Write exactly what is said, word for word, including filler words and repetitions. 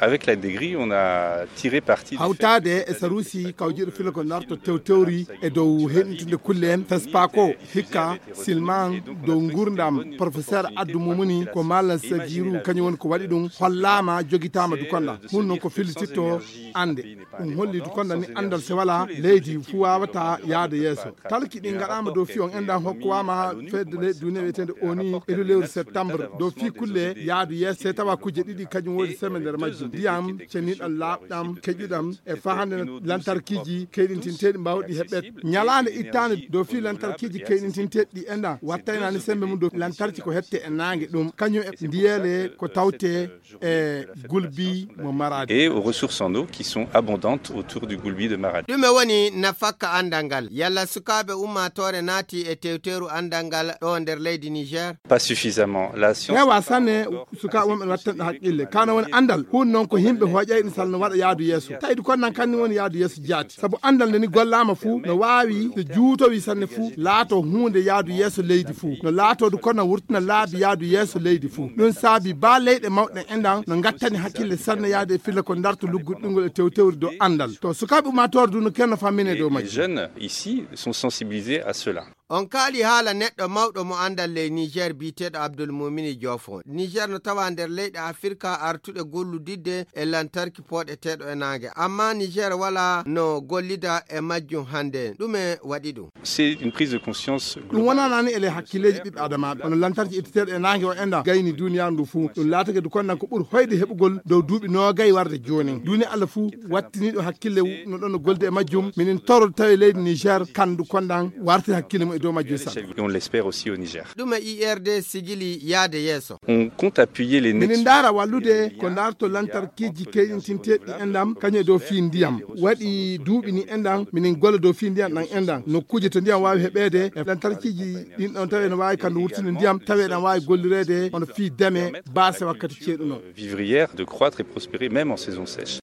Avec la DEGRI, on a tiré parti du fait hawtaade e saruusi kawjiiɗo filagol narto tewtewri e dow heɗintude kulle en, fespako, hikka, silman, dow nguurndam professeur addu mumuni ko malam sagiru, kañum woni ko waɗi ɗum, hollaama, jogitaama dukonda. Hun noon ko fillititto annde. Ɗum holli dukonda ni anndal se wala leydi fu wawata yaade yeeso. Talki ɗi ngaɗaama dow fi on enɗan hokkuwaama fedde leydi duniya wiyeteende oni e lewru septembre dow fi kulle yaadu yeeso, se tawa kujje ɗiɗi kañum woni seme nder majjum. Ndiyam ceniɗam, laaɓɗam, keƴuɗam e fahande lantarkiiji keyɗintinteeɗi mbawɗi heɓɓet. Ñalaande ittaande dow fi lantarkiiji keyɗintinteeɗi ɗi enɗan wattaynani sembe mum dow lantarki ko hette e naange ɗum, kañum e ndiyeele ko tawte e gulbi mo Maradi. Et aux ressources en eau qui sont abondantes autour du Goulbi de Maradi. Ɗume woni nafakka anndal ngal? Yalla sukaaɓe ummaatoore naati e tewteeru anndal ngal ɗo nder leydi Niger? Pas suffisamment. La science heewa sanne. Sukaaɓe wonɓe wattanɓe haqqille, kana woni anndal. Hun noon ko yimɓe hoƴayɗi sal no waɗa yaadu yeeso. Tawi ɗi konnan kanni woni yaadu yeeso jaati. Sabu anndal nde ni gollaama fuu no waawi, so juutowi sanne fuu, laato huunde yaadu yeeso leydi fuu. No laatoo du kono wurtina laabi yaadu yeeso leydi fuu. Ɗum saabi ba leyɗe mawɗe enɗan no ngattani hakkille sanne yaade e filla ko darto lugguɗɗungol e tewtewri dow anndal. To sukaaɓe ummaatoore du no kenno fammine dow majji. Les jeunes ici sont sensibilisés à cela. On kaali haala neɗɗo mawɗo mo anndal ley Niger biyeteeɗo Abdul Mumini Jofo. Niger no tawa nder leyɗe Afirka artuɗe golludidde e lantarki pooɗeteeɗo e naange. Amma Niger wala no gollida e majjum hannde. Ɗume waɗi ɗum? C'est une prise de conscience globale. Ɗum wonanani ele hakkilleeji ɓiɓɓe adamaaɓe. Hono lantarki itteteeɗo e naange o enɗan gayni duniyaaru ndu fuu. Ɗum laatake du konnan ko ɓuri hoyde heɓugol dow duuɓi noogay warde jooni. Duuni Allah fuu wattiniiɗo hakkille no ɗon no golde e majjum. Minin toro tawi leydi Niger kandu konnan warti hakkille mum e dow majjum sanne. Et on l'espère aussi au Niger. Ɗum e I R D sigili yaade yeeso. On compte appuyer les minin ndaara wallude ko darto lantarkiiji keyɗintinteeɗi enɗan kañum e dow fii ndiyam. Waɗi duuɓi ni enɗan minin golla dow fii ndiyam ɗan enɗan. Nokkuuje to ndiyam waawi heɓeede e lantarkiiji ɗin ɗon tawi ene waawi kandu wurtinde ndiyam tawi eɗan waawi gollireede hono fii deme baase wakkati ceeɗu noon. Vivrière de croître et prospérer même en saison sèche.